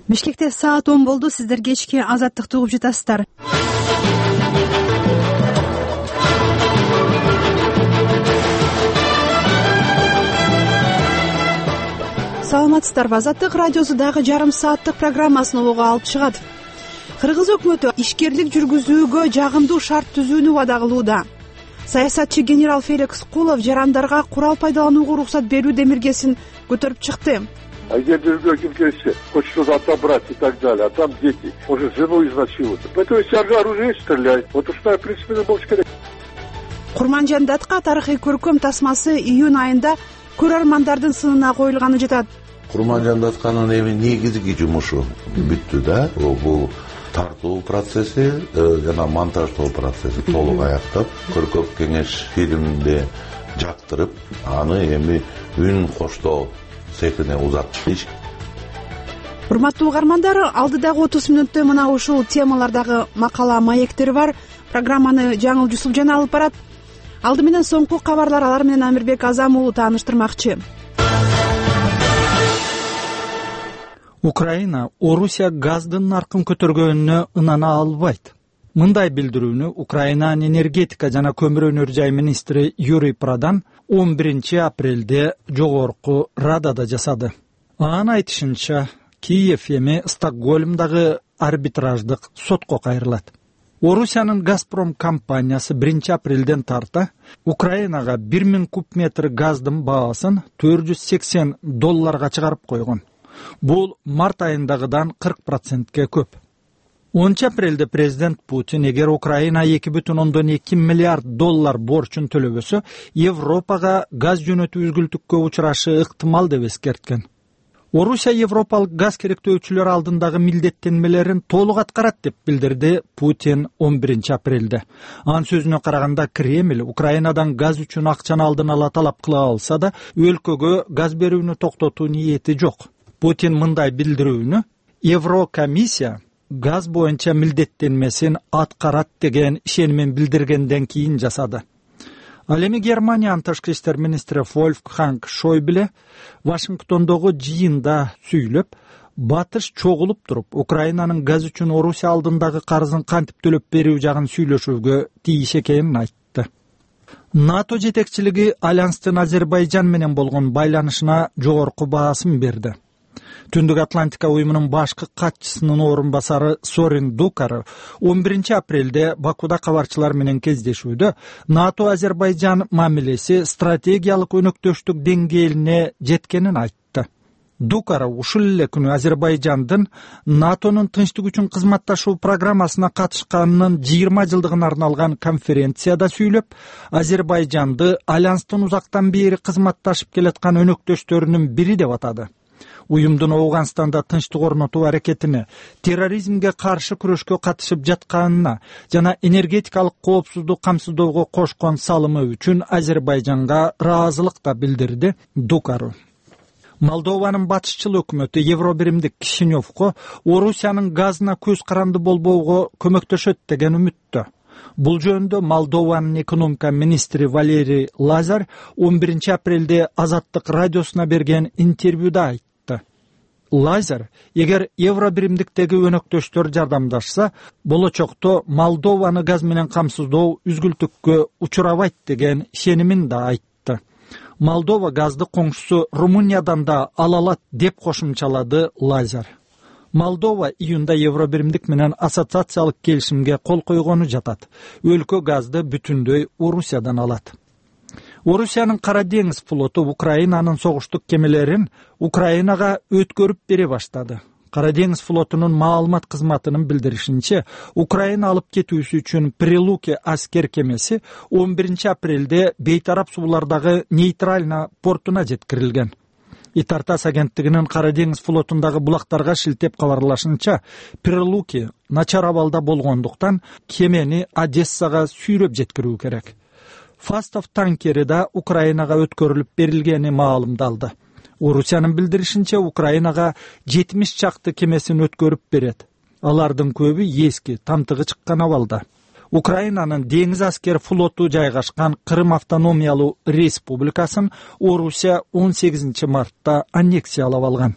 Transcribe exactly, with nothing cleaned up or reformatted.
Бишкекте саат он болду. Сиздер кечки Азаттыкты угуп жатасыздар. Саламатсыздарбы? Азаттык радиосу дагы жарым сааттык программасын обого алып чыгат. Кыргыз өкмөтү ишкерлик жүргүзүүгө жагымдуу шарт түзүүнү убада кылууда. Саясатчы генерал Феликс Кулов жарандарга курал пайдаланууга уруксат берүү демиргесин көтөрүп чыкты. А где другой кем-то хочет что-то отобрать и так далее, а там дети, может жену изнасилуют. Поэтому если оружие стреляет, вот уж в принципе на болуш керек. Курманжандатка тарыхый көркөм тасмасы июнь айында көрөрмандардын сынына коюлганы жатат. Курманжандатканын эми негизги жумушу бүттү да. Бул тартуу процесси жана монтаждоо процесси толук аяктап, көркөм кеңеш фильмде жактырып, аны эми үн коштоо секине узаттыш. Урматтуу угармандар, алдыдагы отуз мүнөттө мына ушул темалардагы макала маектери бар. Программаны Жаңыл Жусупжан алып барат. Алды менен соңку кабарлар, алар менен Амирбек Азам уулу тааныштырмакчы. Украина Орусия газдын наркын көтөргөнүнө ынана албайт. Мындай билдирүүнү Украинанын энергетика жана көмүр өнөр жай министри Юрий Прадан он биринчи апрелде жогорку Радада жасады. Анын айтышынча, Киев эми Стокгольмдагы арбитраждык сотко кайрылат. Орусиянын Газпром компаниясы биринчи апрелден тарта Украинага бир миң куб метр газдын баасын төрт жүз сексен долларга чыгарып койгон. Бул март айындагыдан кырк процентке көп. онунчу апрелде президент Путин эгер Украина эки бүтүн ондон эки миллиард доллар борчун төлөбөсө, Европага газ жөнөтүү үзгүлтүккө учурашы ыктымал деп эскерткен. Орусия европалык газ керектөөчүлөр алдындагы милдеттенмелерин толук аткарат деп билдирди Путин он биринчи апрелде. Анын сөзүнө караганда, Кремль Украинадан газ үчүн акчаны алдын ала талап кыла алса да, өлкөгө газ берүүнү токтотуу ниети жок. Путин мындай билдирүүнү Еврокомиссия газ боюнча милдеттенмесин аткарат деген ишенимен билдиргенден кийин жасады. Ал эми Германиянын тышкы иштер министри Вольфганг Шойбле Вашингтондогу жыйында сүйлөп, батыш чогулуп туруп, Украинанын газ үчүн Орусия алдындагы карызын кантип төлөп берүү жагын сүйлөшүүгө тийиш экенин айтты. НАТО жетекчилиги Альянстын Азербайжан менен болгон байланышына жогорку баасын берди. Түндүк Атлантика уюмунун башкы катчысынын орун басары Сорин Дукар он биринчи апрелде Бакуда кабарчылар менен кездешүүдө НАТО Азербайжан мамилеси стратегиялык өнөктөштүк деңгээлине жеткенин айтты. Дукар ушул эле күнү Азербайжандын НАТОнун тынчтык үчүн кызматташуу программасына катышканынын жыйырма жылдыгына арналган конференцияда сүйлөп, Азербайжанды Альянстын узактан бери кызматташып келаткан өнөктөштөрүнүн бири деп атады. Уюмдун Ауганстанда тынчтык орнотуу аракетине, терроризмге каршы күрөшкө катышып жатканына жана энергетикалык коопсуздук камсыздоого кошкон салымы үчүн Азербайжанга ыраазылык да билдирди Дукару. Молдованын батышчыл өкмөтү Евробиримдик Кишиневко Орусиянын газына көз каранды болбоого көмөктөшөт деген үмүттө. Бул жөнүндө Молдованын экономика министри Валерий Лазар он биринчи апрелде Азаттык радиосуна берген интервьюда айтты. Лазар, эгер Евробиримдиктеги өнөктөштөр жардамдашса, болочокто Молдованы газ менен камсыздоо үзгүлтүккө учурабайт деген ишенимин да айтты. Молдова газды коңшусу Румыниядан да ала алат деп кошумчалады Лазар. Молдова июнда Евробиримдик менен ассоциациялык келишимге кол койгону жатат. Өлкө газды бүтүндөй Орусиядан алат. Орусиянын Кара деңиз флоту Украинанын согуштук кемелерин Украинага өткөрүп бере баштады. Кара деңиз флотунун маалымат кызматынын билдиришинче, Украина алып кетүүсү үчүн Прилуки аскер кемеси он биринчи апрелде бейтарап суулардагы нейтрально портуна жеткирилген. Итартас агенттигинин Кара деңиз флотундагы булактарга шилтеп кабарлашынча, Прилуки начар абалда болгондуктан кемени Одессага сүйрөп жеткирүү керек. Фастов танкери да Украинага өткөрүлүп берилгени маалымдалды. Орусиянын билдиришинче, Украинага жетимиш чакты кемесин өткөрүп берет. Алардын көбү эски, тамтыгы чыккан абалда. Украинанын деңиз аскер флоту жайгашкан Крым автономиялуу республикасын Орусия он сегизинчи мартта аннексиялап алган.